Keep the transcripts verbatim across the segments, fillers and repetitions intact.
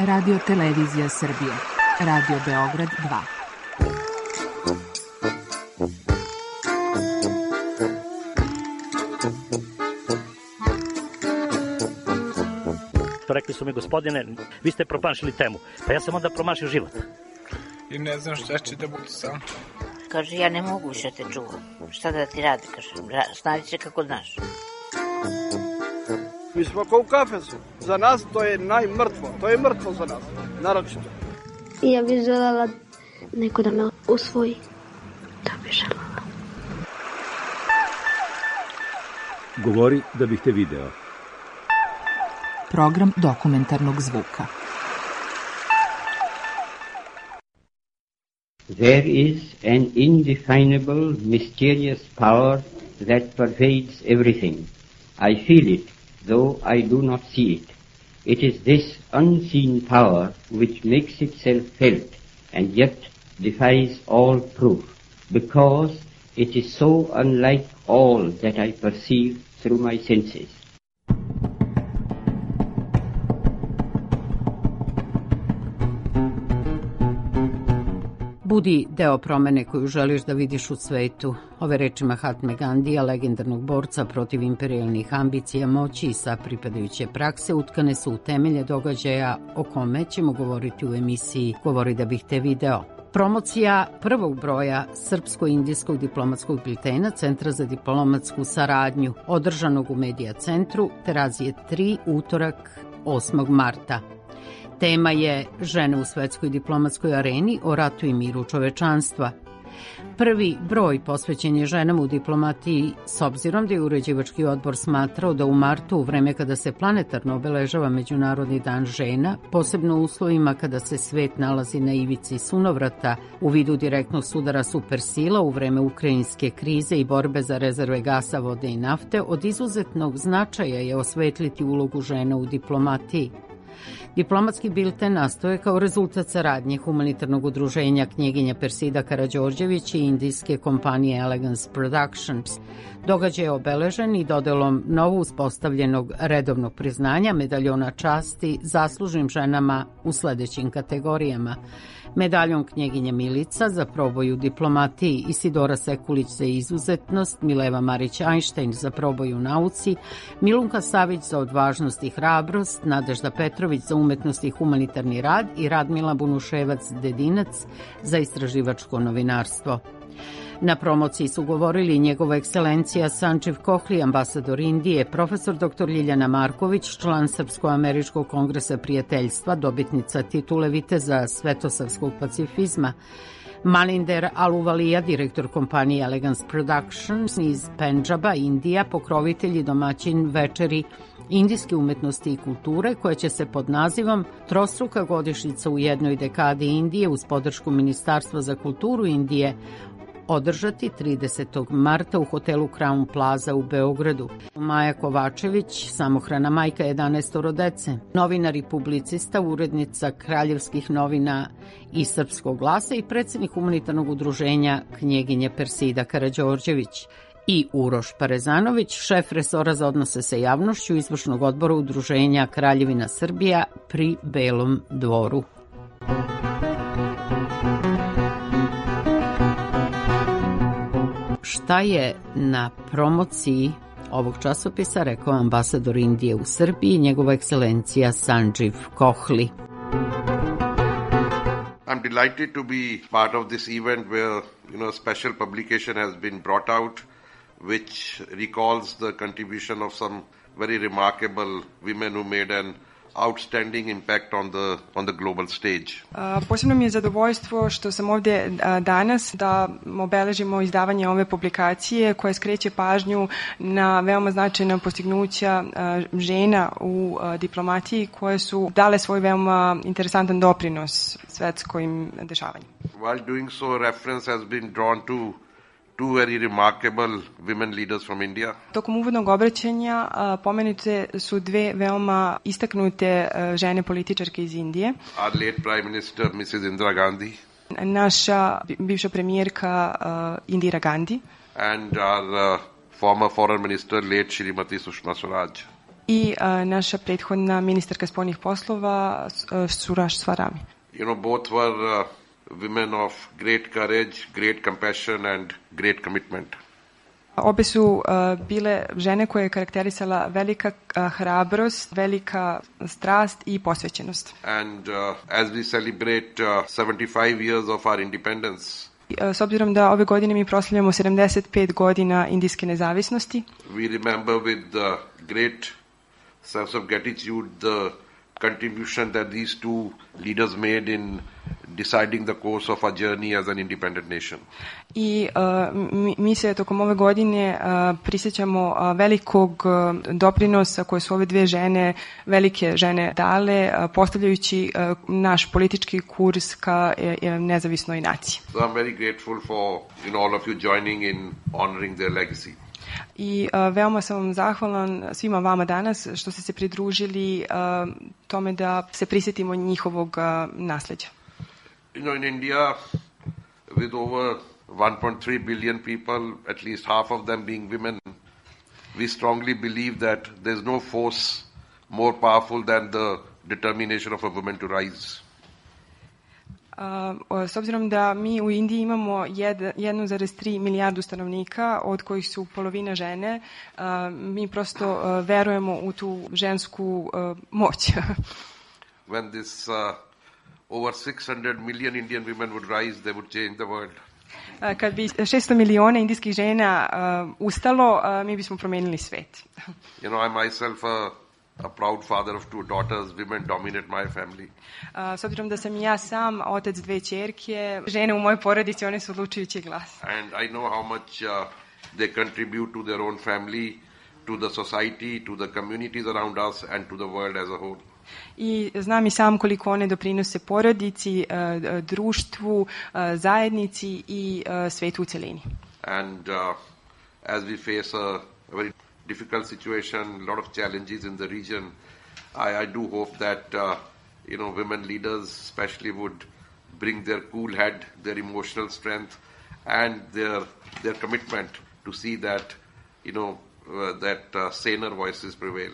Radio Televizija Srbije. Radio Beograd dva. Rekli su mi, gospodine, vi ste promašili temu. Pa ja sam onda promašio život. I ne znam šta će da bude sam. Kaže, ja ne mogu više te čuvam. Šta da ti radi, kaže, snađi se kako znaš. Mi smo kao u kafesu. Za nas to je najmrtvo. To je mrtvo za nas, naročito. Ja bih želela neko da me usvoji. Da bih želela. Govori da bih te video. Program dokumentarnog zvuka. There is an indefinable, mysterious power that pervades everything. I feel it, though I do not see it. It is this unseen power which makes itself felt and yet defies all proof, because it is so unlike all that I perceive through my senses. Budi deo promene koju želiš da vidiš u svetu. Ove reči Mahatme Gandija, legendarnog borca protiv imperijalnih ambicija, moći i sa pripadajuće prakse utkane su u temelje događaja o kome ćemo govoriti u emisiji Govori da bih te video. Promocija prvog broja Srpsko-indijskog diplomatskog biltena Centra za diplomatsku saradnju, održanog u Medija centru Terazije tri, utorak osmog marta. Tema je žene u svetskoj diplomatskoj areni o ratu i miru čovečanstva. Prvi broj posvećen je ženama u diplomatiji s obzirom da je uređivački odbor smatrao da u martu, u vreme kada se planetarno obeležava Međunarodni dan žena, posebno u uslovima kada se svet nalazi na ivici sunovrata u vidu direktnog sudara supersila u vreme ukrajinske krize i borbe za rezerve gasa, vode i nafte, od izuzetnog značaja je osvetliti ulogu žena u diplomatiji. Diplomatski bilten nastao je kao rezultat saradnje humanitarnog udruženja knjeginja Persida Karađorđević i indijske kompanije Elegance Productions. Događaj je obeležen i dodelom novo uspostavljenog redovnog priznanja medaljona časti zaslužnim ženama u sledećim kategorijama: medaljom knjeginja Milica za proboj u diplomatiji, Isidora Sekulić za izuzetnost, Mileva Marić-Ajnštajn za proboj u nauci, Milunka Savić za odvažnost i hrabrost, Nadežda Petrović za umetnost i humanitarni rad i Radmila Bunuševac-Dedinac za istraživačko novinarstvo. Na promociji su govorili njegova ekscelencija Sančiv Kohli, ambasador Indije, profesor doktor Ljiljana Marković, član Srpsko-američkog kongresa prijateljstva, dobitnica titule viteza svetosavskog pacifizma, Maninder Aluvalija, direktor kompanije Elegance Productions iz Pendžaba, Indija, pokrovitelj i domaćin večeri indijske umetnosti i kulture, koja će se pod nazivom Trostruka godišnjica u jednoj dekadi Indije uz podršku Ministarstva za kulturu Indije održati tridesetog marta u hotelu Crown Plaza u Beogradu. Maja Kovačević, samohrana majka jedanaestoro dece, novinar i publicista, urednica Kraljevskih novina i Srpskog glasa i predsednik humanitarnog udruženja knjeginje Persida Karađorđević, i Uroš Parezanović, šef resora za odnose sa javnošću izvršnog odbora udruženja Kraljevina Srbija pri Belom dvoru. Šta je na promociji ovog časopisa rekao ambasador Indije u Srbiji, njegova ekscelencija Sančiv Kohli. I'm delighted to be part of this event where, you know, a special publication has been brought out which recalls the contribution of some very remarkable women who made an outstanding impact on the on the global stage. A, posebno mi je zadovoljstvo što sam ovdje a, danas da obeležimo izdavanje ove publikacije koja skreće pažnju na veoma značajna postignuća a, žena u a, diplomatiji koje su dale svoj veoma interesantan doprinos svetskim dešavanjima. While doing so, reference has been drawn to two very remarkable women leaders from India. Tokom uvodnog obraćanja a, pomenute su dve veoma istaknute a, žene političarke iz Indije. Our late Prime Minister, missus Indira Gandhi. Naša bivša premijerka uh, Indira Gandhi. And our uh, former foreign minister, late Shrimati Sushma Swaraj. i uh, naša prethodna ministarka spoljnih poslova uh, Surash Swarami. You know, both were uh, women of great courage, great compassion and great commitment. Obe su uh, bile žene koje je karakterisala velika uh, hrabrost, velika strast i posvećenost. And uh, as we celebrate uh, seventy-five years of our independence, S obzirom da ove godine mi proslavljamo sedamdeset pet godina indijske nezavisnosti, we remember with uh, great sense of gratitude the contribution that these two leaders made in deciding the course of our journey as an independent nation. I uh, mi, mi se tokom ove godine uh, prisjećamo uh, velikog uh, doprinosa koje su ove dve žene, velike žene dale, uh, postavljajući uh, naš politički kurs ka uh, nezavisnoj naciji. So I'm very grateful for you know, all of you joining in honoring their legacy. I uh, veoma sam vam zahvalan svima vama danas što ste se pridružili uh, tome da se prisjetimo njihovog uh, nasleđa. You know, in India, with over one point three billion people, at least half of them being women, we strongly believe that there's no force more powerful than the determination of a woman to rise. Uh, s obzirom da mi u Indiji imamo jedan zarez tri milijardu stanovnika, od kojih su polovina žene, uh, mi prosto uh, verujemo u tu žensku uh, moć. When this uh, over six hundred million Indian women would rise, they would change the world. Uh, kad bi šesto miliona indijskih žena uh, ustalo, uh, mi bismo promenili svet. You know, I myself a a proud father of two daughters, women dominate my family. Uh, s obzirom da sam ja sam otac dve ćerke, žene u mojoj porodici, one su odlučujući glas. And I know how much uh, they contribute to their own family, to the society, to the communities around us and to the world as a whole. I znam i sam koliko one doprinose porodici, uh, društvu, uh, zajednici i uh, svetu u celini. And uh, as we face a, a very difficult situation, a lot of challenges in the region, I, I do hope that uh, you know, women leaders especially would bring their cool head, their emotional strength and their their commitment to see that you know uh, that uh, saner voices prevail.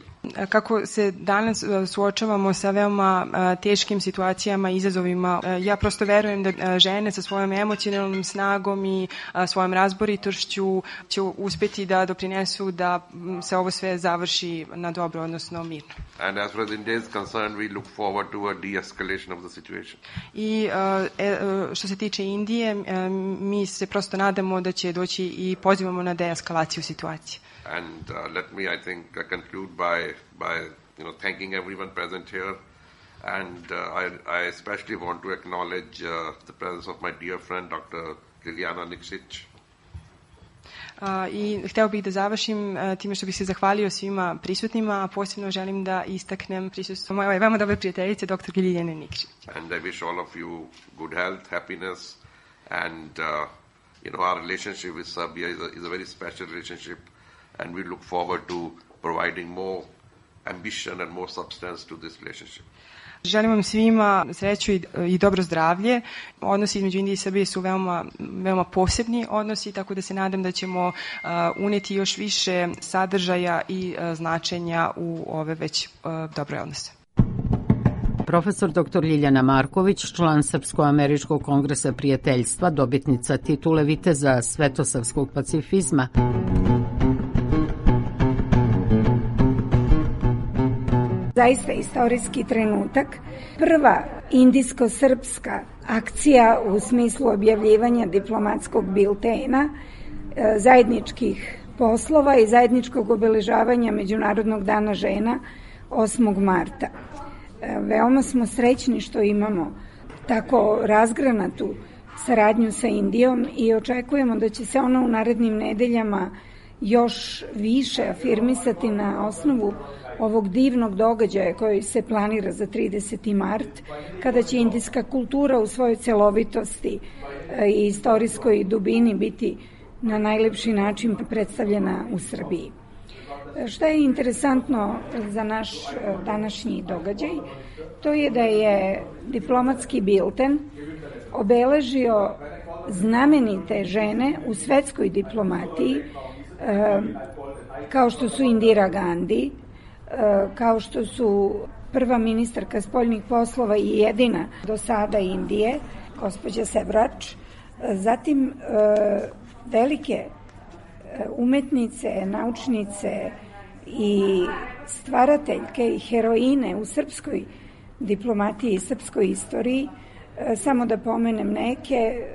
Kako se danas suočavamo sa veoma uh, teškim situacijama i izazovima, uh, ja prosto verujem da uh, žene sa svojom emocionalnom snagom i uh, svojom razboritošću će uspjeti da doprinesu da se ovo sve završi na dobro, odnosno mirno. And as far as India is concerned, we look forward to a de-escalation of the situation. I uh, e, što se tiče Indije, uh, mi se prosto nadamo da će doći i pozivamo na deeskalaciju situacije. And uh, let me, I think, uh, conclude by, by you know, thanking everyone present here. And uh, I, I especially want to acknowledge uh, the presence of my dear friend, Doctor Liliana Nikšić. Uh, I hteo bih da završim uh, time što bih se zahvalio svima prisutnima, a posebno želim da istaknem prisustvo moje veoma dobre prijateljice, doktor Liljane Nikšić. And I wish all of you good health, happiness, and uh, you know, our relationship with Serbia is a, is a very special relationship. And we look forward to providing more ambition and more substance to this relationship. Želim vam svima sreću i, i dobro zdravlje. Odnosi između Indije i Srbije su veoma, veoma posebni odnosi, tako da se nadam da ćemo uh, uneti još više sadržaja i uh, značenja u ove već uh, dobre odnose. Profesor doktor Ljiljana Marković, član Srpsko-američkog kongresa prijateljstva, dobitnica titule viteza svetosavskog pacifizma. Zaista istorijski trenutak. Prva indijsko-srpska akcija u smislu objavljivanja diplomatskog biltena, zajedničkih poslova i zajedničkog obeležavanja Međunarodnog dana žena osmog marta. Veoma smo srećni što imamo tako razgranatu saradnju sa Indijom i očekujemo da će se ona u narednim nedeljama još više afirmisati na osnovu ovog divnog događaja koji se planira za trideseti mart, kada će indijska kultura u svojoj celovitosti i istorijskoj dubini biti na najlepši način predstavljena u Srbiji. Šta je interesantno za naš današnji događaj? To je da je diplomatski bilten obeležio znamenite žene u svetskoj diplomatiji, kao što su Indira Gandhi, kao što su prva ministarka spoljnih poslova i jedina do sada Indije, gospođa Sevrač, zatim velike umetnice, naučnice i stvarateljke i heroine u srpskoj diplomatiji i srpskoj istoriji. Samo da pomenem neke,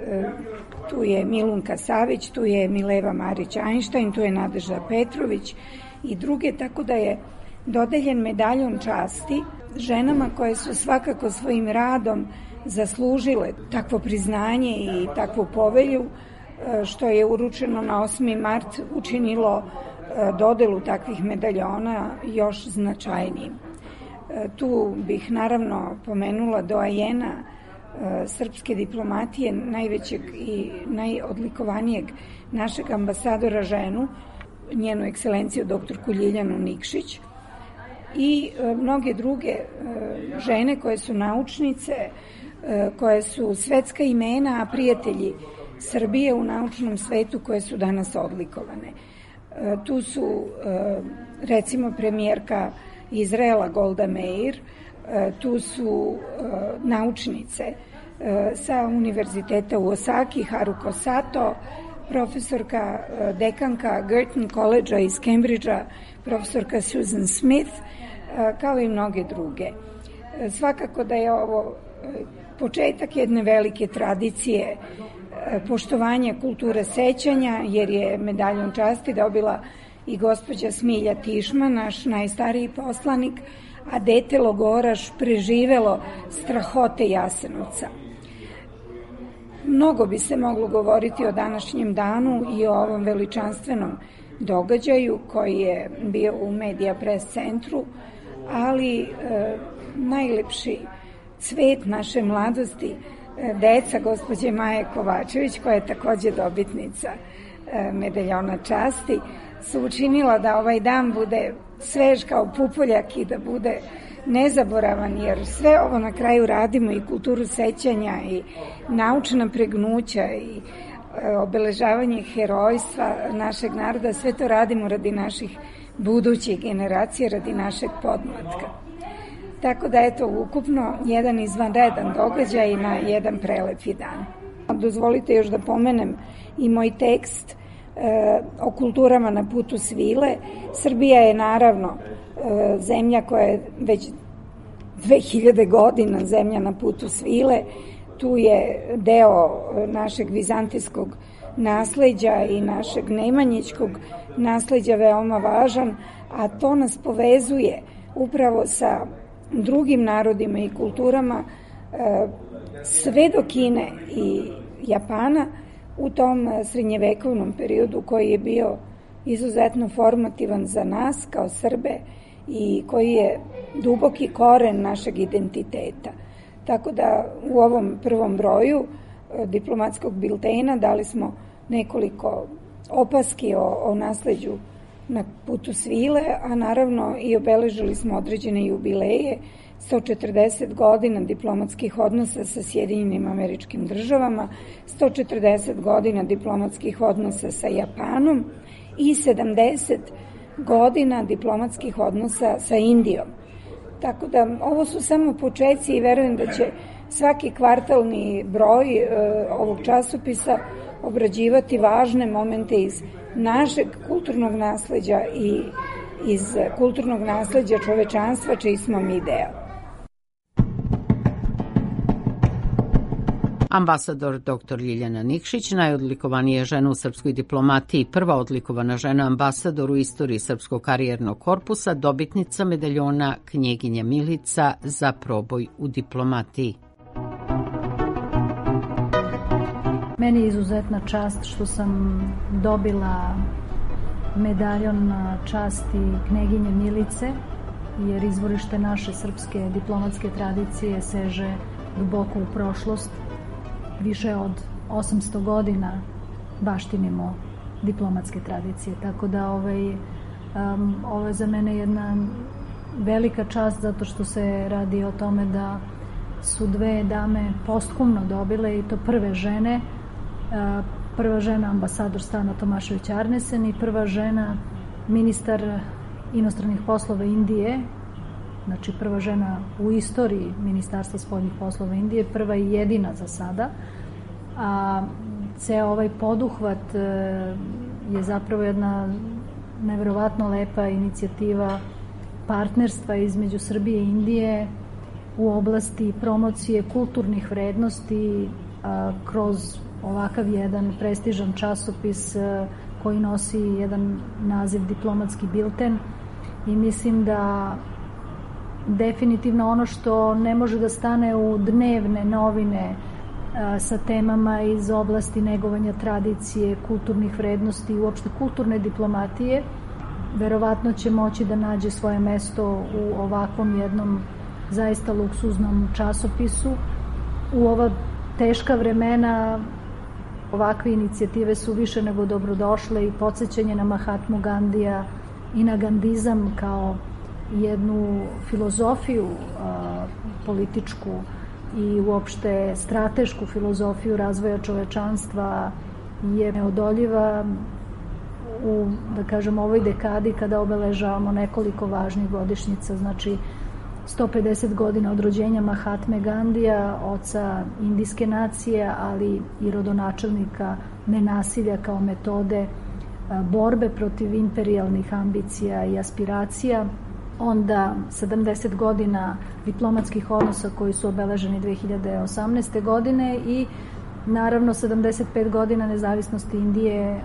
tu je Milunka Savić, tu je Mileva Marić-Einstein, tu je Nadežda Petrović i druge, tako da je dodeljen medaljon časti ženama koje su svakako svojim radom zaslužile takvo priznanje i takvu povelju, što je uručeno na osmi mart učinilo dodelu takvih medaljona još značajnijim. Tu bih naravno pomenula doajena srpske diplomatije, najvećeg i najodlikovanijeg našeg ambasadora ženu, njenu ekscelenciju doktorku Ljiljanu Nikšić, i mnoge druge žene koje su naučnice, koje su svetska imena, a prijatelji Srbije u naučnom svetu koje su danas odlikovane. Tu su recimo premijerka Izraela Golda Meir, tu su naučnice sa univerziteta u Osaki, Haruko Sato, profesorka dekanka Girton College-a iz Cambridgea, profesorka Susan Smith, kao i mnoge druge. Svakako da je ovo početak jedne velike tradicije poštovanja kulture sećanja, jer je medaljon časti dobila i gospođa Smilja Tišma, naš najstariji poslanik, a dete logoraš preživelo strahote Jasenovca. Mnogo bi se moglo govoriti o današnjem danu i o ovom veličanstvenom događaju koji je bio u Medija Press centru, ali e, najlepši cvet naše mladosti, e, deca gospođe Maje Kovačević, koja je takođe dobitnica e, medaljona časti, su učinila da ovaj dan bude svež kao pupoljak i da bude nezaboravan, jer sve ovo na kraju radimo, i kulturu sećanja i naučna pregnuća i obeležavanje herojstva našeg naroda, sve to radimo radi naših budućih generacija, radi našeg podmlatka. Tako da eto, ukupno jedan izvanredan događaj na jedan prelepi dan. Dozvolite još da pomenem i moj tekst e, o kulturama na putu svile. Srbija je naravno e, zemlja koja je već dve hiljade godina zemlja na putu svile. Tu je deo našeg vizantijskog nasleđa i našeg nemanjićkog nasleđa veoma važan, a to nas povezuje upravo sa drugim narodima i kulturama sve do Kine i Japana u tom srednjevekovnom periodu koji je bio izuzetno formativan za nas kao Srbe i koji je duboki koren našeg identiteta. Tako da u ovom prvom broju diplomatskog biltena dali smo nekoliko opaski o, o nasleđu na putu svile, a naravno i obeležili smo određene jubileje, sto četrdeset godina diplomatskih odnosa sa Sjedinjenim Američkim Državama, sto četrdeset godina diplomatskih odnosa sa Japanom i sedamdeset godina diplomatskih odnosa sa Indijom. Tako da ovo su samo počeci i verujem da će svaki kvartalni broj e, ovog časopisa obrađivati važne momente iz našeg kulturnog nasleđa i iz kulturnog nasleđa čovečanstva čiji smo mi deo. Ambasador doktor Ljiljana Nikšić, najodlikovanija žena u srpskoj diplomatiji, prva odlikovana žena ambasador u istoriji Srpskog karijernog korpusa, dobitnica medaljona Knjeginja Milica za proboj u diplomatiji. Meni je izuzetna čast što sam dobila medaljon časti Knjeginje Milice, jer izvorište naše srpske diplomatske tradicije seže duboko u prošlost. Više od osamsto godina baštinimo diplomatske tradicije, tako da ovaj, um, ovo je za mene jedna velika čast zato što se radi o tome da su dve dame posthumno dobile, i to prve žene, uh, prva žena ambasador Stana Tomašević Arnesen i prva žena ministar inostranih poslova Indije, znači prva žena u istoriji Ministarstva spoljnih poslova Indije, prva i jedina za sada, a ceo ovaj poduhvat je zapravo jedna neverovatno lepa inicijativa partnerstva između Srbije i Indije u oblasti promocije kulturnih vrednosti a, kroz ovakav jedan prestižan časopis a, koji nosi jedan naziv Diplomatski bilten, i mislim da definitivno ono što ne može da stane u dnevne novine a, sa temama iz oblasti negovanja tradicije, kulturnih vrednosti i uopšte kulturne diplomatije, verovatno će moći da nađe svoje mesto u ovakvom jednom zaista luksuznom časopisu. U ova teška vremena ovakve inicijative su više nego dobrodošle i podsjećanje na Mahatmu Gandija i na gandizam kao jednu filozofiju a, političku i uopšte stratešku filozofiju razvoja čovečanstva je neodoljiva u, da kažem, ovoj dekadi kada obeležavamo nekoliko važnih godišnjica, znači sto pedeset godina od rođenja Mahatme Gandija, oca indijske nacije, ali i rodonačelnika nenasilja kao metode borbe protiv imperijalnih ambicija i aspiracija. Onda sedamdeset godina diplomatskih odnosa koji su obeleženi dve hiljade osamnaeste. godine i naravno sedamdeset pet godina nezavisnosti Indije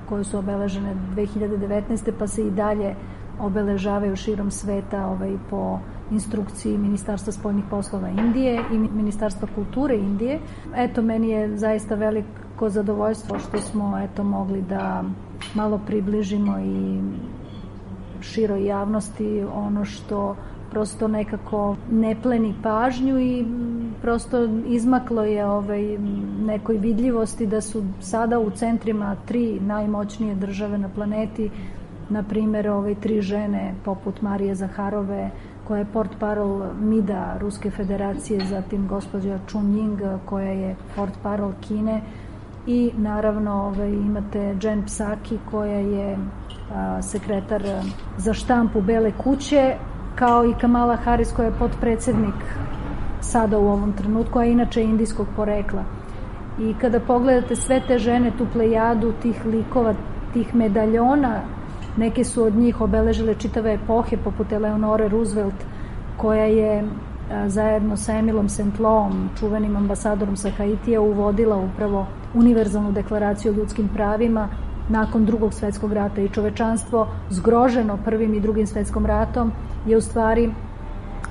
koje su obeležene dve hiljade devetnaeste. pa se i dalje obeležavaju širom sveta ovaj, po instrukciji Ministarstva spoljnih poslova Indije i Ministarstva kulture Indije. Eto, meni je zaista veliko zadovoljstvo što smo eto mogli da malo približimo i široj javnosti ono što prosto nekako ne pleni pažnju i prosto izmaklo je ovaj, nekoj vidljivosti da su sada u centrima tri najmoćnije države na planeti, na primjer ovaj, tri žene poput Marije Zaharove, koja je portparol MIDA Ruske federacije, zatim gospođa Chun Ying koja je portparol Kine i naravno ovaj, imate Jen Psaki koja je a, sekretar za štampu Bele kuće, kao i Kamala Harris koja je potpredsednik sada u ovom trenutku, a inače indijskog porekla. I kada pogledate sve te žene, tu plejadu tih likova, tih medaljona, neke su od njih obeležile čitave epohe, poput Eleonore Roosevelt, koja je a, zajedno sa Emilom Saint Louom, čuvenim ambasadorom sa Haitija, uvodila upravo univerzalnu deklaraciju o ljudskim pravima nakon drugog svetskog rata, i čovečanstvo zgroženo prvim i drugim svetskom ratom je u stvari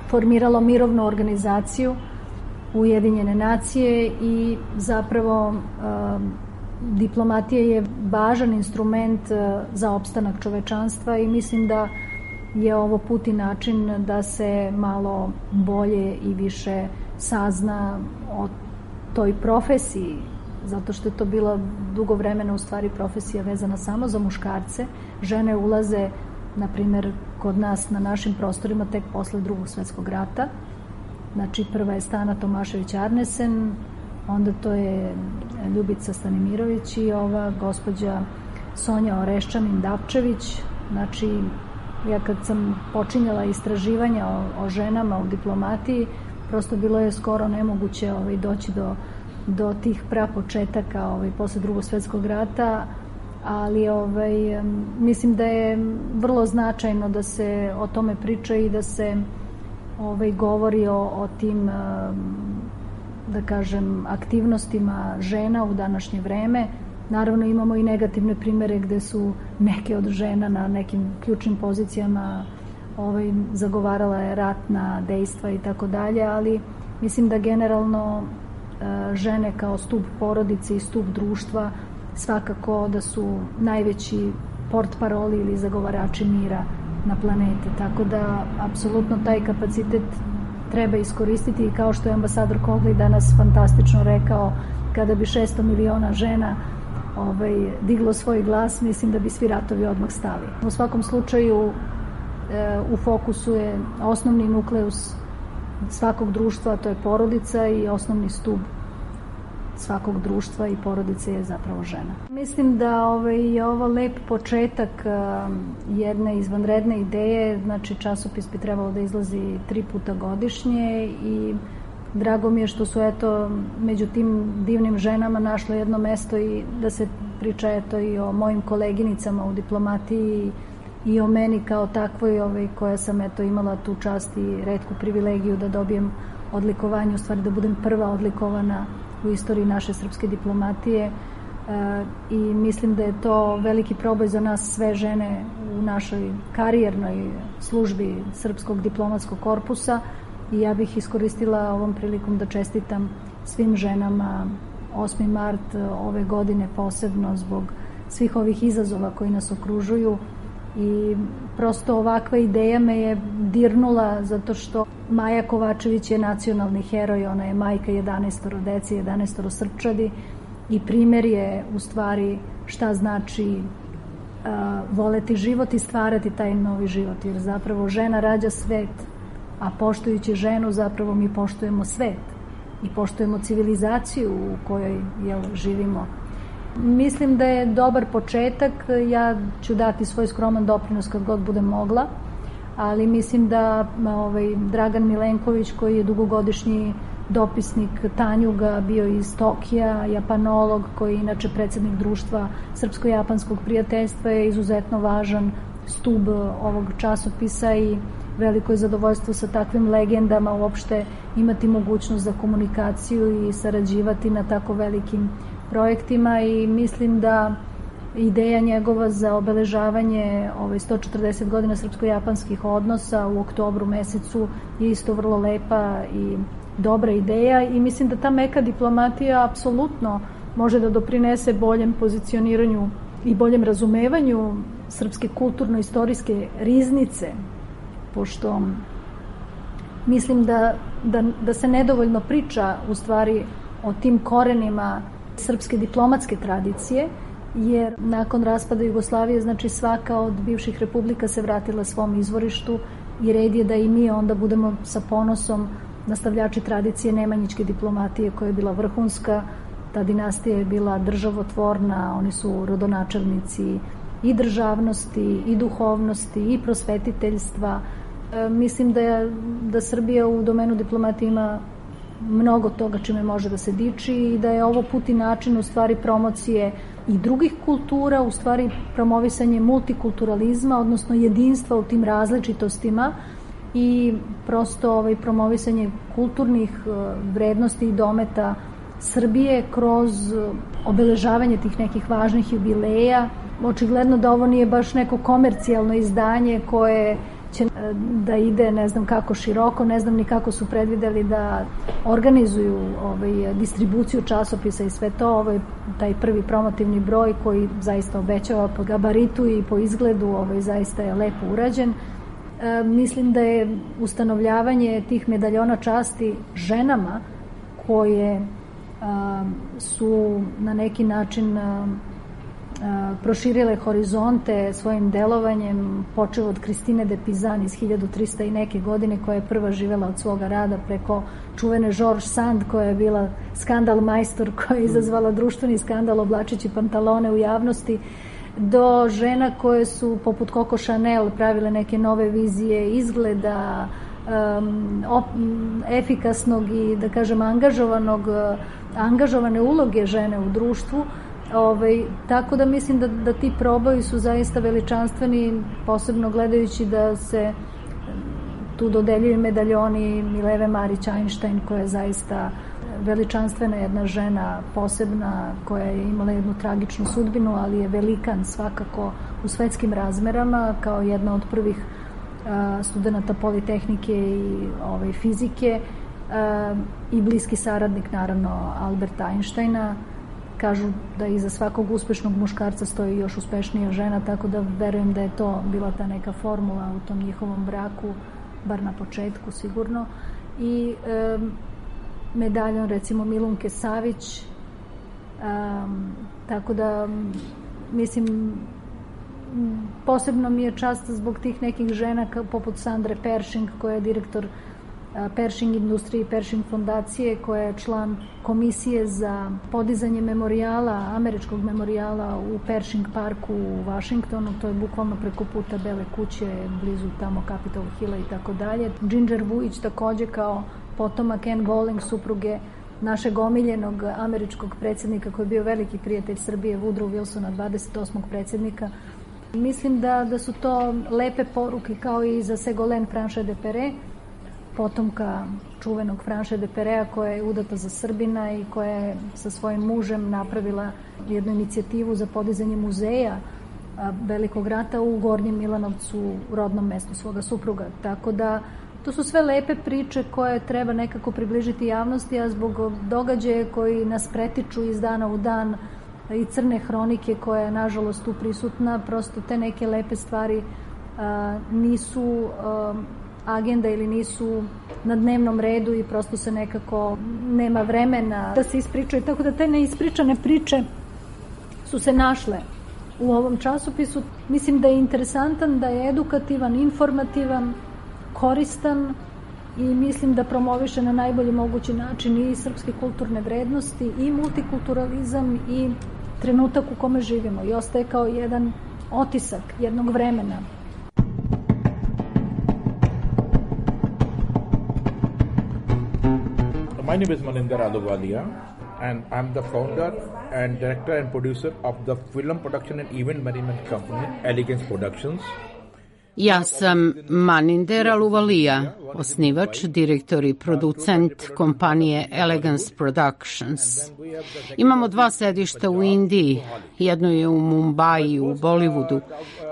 formiralo mirovnu organizaciju Ujedinjene nacije i zapravo a, diplomatija je važan instrument za opstanak čovečanstva i mislim da je ovo put i način da se malo bolje i više sazna o toj profesiji, zato što je to bila dugo vremena u stvari profesija vezana samo za muškarce. Žene ulaze, na primjer, kod nas na našim prostorima tek posle drugog svetskog rata. Znači, prva je Stana Tomašević-Arnesen, onda to je Ljubica Stanimirović i ova gospođa Sonja Oreščanin-Dapčević. Znači, ja kad sam počinjala istraživanja o, o ženama u diplomatiji, prosto bilo je skoro nemoguće ovaj, doći do, do tih prapočetaka ovaj, posle drugog svetskog rata, ali ovaj, mislim da je vrlo značajno da se o tome priča i da se ovaj, govori o, o tim, da kažem, aktivnostima žena u današnje vreme. Naravno, imamo i negativne primere gde su neke od žena na nekim ključnim pozicijama ovaj, zagovarala je ratna dejstva i tako dalje, ali mislim da generalno žene kao stub porodice i stub društva svakako da su najveći portparoli ili zagovarači mira na planete, tako da apsolutno taj kapacitet treba iskoristiti i kao što je ambasador Cogley danas fantastično rekao, kada bi šesto miliona žena ovaj, diglo svoj glas, mislim da bi svi ratovi odmah stali. U svakom slučaju e, u fokusu je osnovni nukleus svakog društva, to je porodica i osnovni stub svakog društva i porodice je zapravo žena. Mislim da ovaj, je ovo lep početak uh, jedne izvanredne ideje, znači časopis bi trebalo da izlazi tri puta godišnje i drago mi je što su eto među tim divnim ženama našle jedno mesto i da se priča eto i o mojim koleginicama u diplomatiji i o meni kao takvoj ovaj, koja sam eto imala tu čast i retku privilegiju da dobijem odlikovanje, u stvari da budem prva odlikovana u istoriji naše srpske diplomatije e, i mislim da je to veliki proboj za nas sve žene u našoj karijernoj službi Srpskog diplomatskog korpusa i ja bih iskoristila ovom prilikom da čestitam svim ženama osmi mart ove godine posebno zbog svih ovih izazova koji nas okružuju i prosto ovakva ideja me je dirnula zato što Maja Kovačević je nacionalni heroj, ona je majka jedanaestoro dece, jedanaestoro srpčadi i primer je u stvari šta znači uh, voleti život i stvarati taj novi život, jer zapravo žena rađa svet, a poštujući ženu zapravo mi poštujemo svet i poštujemo civilizaciju u kojoj jel, živimo. Mislim da je dobar početak, ja ću dati svoj skroman doprinos kad god budem mogla, ali mislim da ovaj, Dragan Milenković koji je dugogodišnji dopisnik Tanjuga, bio iz Tokija, japanolog koji je inače predsjednik društva Srpsko-japanskog prijateljstva je izuzetno važan stub ovog časopisa i veliko je zadovoljstvo sa takvim legendama uopšte imati mogućnost za komunikaciju i sarađivati na tako velikim projektima i mislim da ideja njegova za obeležavanje ove sto četrdeset godina srpsko-japanskih odnosa u oktobru mesecu je isto vrlo lepa i dobra ideja i mislim da ta meka diplomatija apsolutno može da doprinese boljem pozicioniranju i boljem razumevanju srpske kulturno-istorijske riznice, pošto mislim da, da, da se nedovoljno priča u stvari o tim korenima srpske diplomatske tradicije, jer nakon raspada Jugoslavije, znači svaka od bivših republika se vratila svom izvorištu i red je da i mi onda budemo sa ponosom nastavljači tradicije nemanjičke diplomatije koja je bila vrhunska, ta dinastija je bila državotvorna, oni su rodonačelnici i državnosti, i duhovnosti, i prosvetiteljstva. E, mislim da, je, da Srbija u domenu diplomatije ima mnogo toga čime može da se diči i da je ovo put i način u stvari promocije i drugih kultura, u stvari promovisanje multikulturalizma, odnosno jedinstva u tim različitostima i prosto ovaj, promovisanje kulturnih vrednosti i dometa Srbije kroz obeležavanje tih nekih važnih jubileja. Očigledno da ovo nije baš neko komercijalno izdanje koje će da ide ne znam kako široko, ne znam ni kako su predvideli da organizuju ovaj, distribuciju časopisa i sve to, ovaj, taj prvi promotivni broj koji zaista obećava po gabaritu i po izgledu, ovaj, zaista je lepo urađen. E, mislim da je ustanovljavanje tih medaljona časti ženama koje a, su na neki način a, a, proširile horizonte svojim delovanjem, počeo od Kristine de Pizan iz hiljadu trista i neke godine, koja je prva živela od svoga rada, preko čuvene George Sand koja je bila skandal majstor, koja je izazvala društveni skandal oblačeći pantalone u javnosti, do žena koje su poput Coco Chanel pravile neke nove vizije izgleda, um, op, efikasnog i da kažem angažovanog, angažovane uloge žene u društvu. Ovaj, tako da mislim da, da ti proboji su zaista veličanstveni, posebno gledajući da se tu dodeljuju medaljoni Mileve Marić Einstein, koja je zaista veličanstvena jedna žena, posebna, koja je imala jednu tragičnu sudbinu, ali je velikan svakako u svetskim razmerama, kao jedna od prvih uh, studenta Politehnike i ovaj, fizike uh, i bliski saradnik naravno Alberta Einsteina. Kažu da iza svakog uspešnog muškarca stoji još uspešnija žena, tako da verujem da je to bila ta neka formula u tom njihovom braku, bar na početku sigurno. I um, medaljon recimo Milunke Savić, um, tako da mislim posebno mi je čast zbog tih nekih žena poput Sandre Pershing, koja je direktor Pershing industriji, Pershing fondacije, koja je član komisije za podizanje memorijala, američkog memorijala u Pershing parku u Vašingtonu, to je bukvalno preko puta Bele kuće, blizu tamo Capitol Hilla i tako dalje. Ginger Vujić takođe kao potomak Anne Bowling, supruge našeg omiljenog američkog predsjednika koji je bio veliki prijatelj Srbije, Woodrow Wilsona, dvadeset osmog predsjednika. Mislim da, da su to lepe poruke kao i za Ségolène Franche de Perret, potomka čuvenog Franche de Perea koja je udata za Srbina i koja je sa svojim mužem napravila jednu inicijativu za podizanje muzeja Velikog rata u Gornjem Milanovcu, u rodnom mestu svoga supruga. Tako da to su sve lepe priče koje treba nekako približiti javnosti, a zbog događaja koji nas pretiču iz dana u dan i crne hronike koja je nažalost tu prisutna, prosto te neke lepe stvari a, nisu a, agenda ili nisu na dnevnom redu i prosto se nekako nema vremena da se ispričaju. Tako da te neispričane priče su se našle u ovom časopisu. Mislim da je interesantan, da je edukativan, informativan, koristan i mislim da promoviše na najbolji mogući način i srpske kulturne vrednosti i multikulturalizam i trenutak u kome živimo i ostaje kao jedan otisak jednog vremena. My name is Maninder Ahluwalia and I'm the founder and director and producer of the film production and event management company Elegance Productions. Ja sam Maninder Ahluwalia, osnivač, direktor i producent kompanije Elegance Productions. Imamo dva sedišta u Indiji, jedno je u Mumbai u Bollywoodu,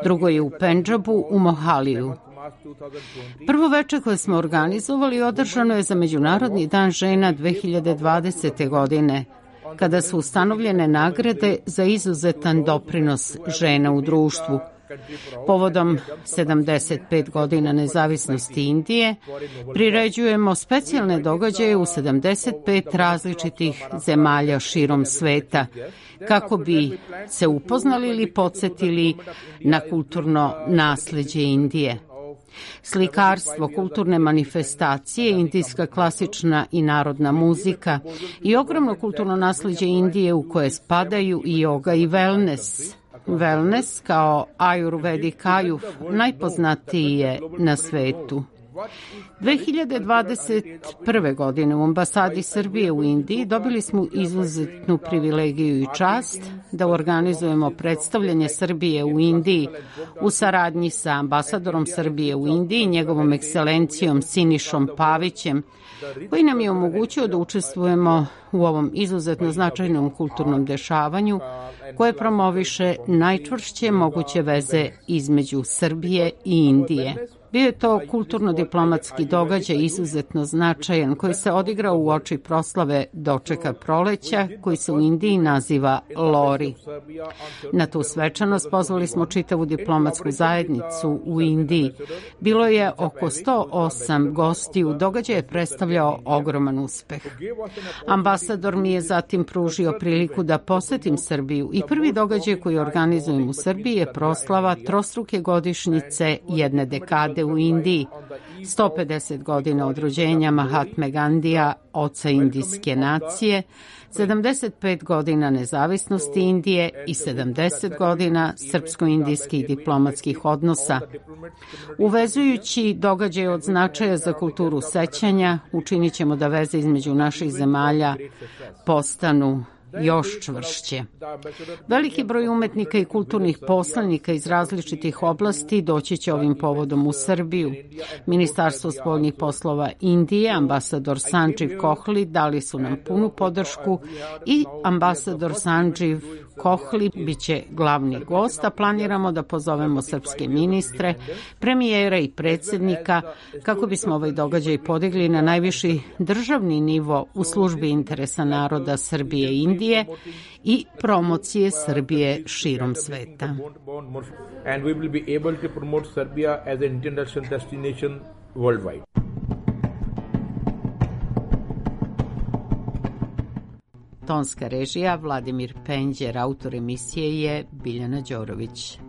drugo je u Pendžabu u Mohaliju. Prvo veče koje smo organizovali održano je za Međunarodni dan žena dve hiljade dvadesete. godine, kada su ustanovljene nagrade za izuzetan doprinos žena u društvu. Povodom sedamdeset pet godina nezavisnosti Indije priređujemo specijalne događaje u sedamdeset pet različitih zemalja širom sveta kako bi se upoznali ili podsjetili na kulturno nasleđe Indije. Slikarstvo, kulturne manifestacije, indijska klasična i narodna muzika i ogromno kulturno nasleđe Indije u koje spadaju i yoga i wellness. Wellness kao Ayurvedic Ayuf najpoznatiji je na svetu. dve hiljade dvadeset prve. godine u ambasadi Srbije u Indiji dobili smo izuzetnu privilegiju i čast da organizujemo predstavljanje Srbije u Indiji u saradnji sa ambasadorom Srbije u Indiji, njegovom ekscelencijom Sinišom Pavićem, koji nam je omogućio da učestvujemo u ovom izuzetno značajnom kulturnom dešavanju koje promoviše najčvršće moguće veze između Srbije i Indije. Bio je to kulturno-diplomatski događaj izuzetno značajan koji se odigrao u oči proslave dočeka proleća koji se u Indiji naziva Lori. Na tu svečanost pozvali smo čitavu diplomatsku zajednicu u Indiji. Bilo je oko sto osam gostiju, događaj je predstavljao ogroman uspeh. Ambasador mi je zatim pružio priliku da posetim Srbiju i prvi događaj koji organizujem u Srbiji je proslava trostruke godišnjice jedne dekade u Indiji, sto pedeset godina od rođenja Mahatme Gandija, oca indijske nacije, sedamdeset pet godina nezavisnosti Indije i sedamdeset godina srpsko-indijskih diplomatskih odnosa. Uvezujući događaje od značaja za kulturu sećanja, učinit ćemo da veze između naših zemalja postanu još čvršće. Veliki broj umetnika i kulturnih poslanika iz različitih oblasti doći će ovim povodom u Srbiju. Ministarstvo spoljnih poslova Indije, ambasador Sanđiv Kohli dali su nam punu podršku i ambasador Sanđiv Kohli biće glavni gost, a planiramo da pozovemo srpske ministre, premijera i predsjednika kako bismo ovaj događaj podigli na najviši državni nivo u službi interesa naroda Srbije i Indije i promocije Srbije širom sveta. And we will be able to promote Serbia as an international destination worldwide. Tonska režija Vladimir Penđer, autor emisije je Biljana Đorović.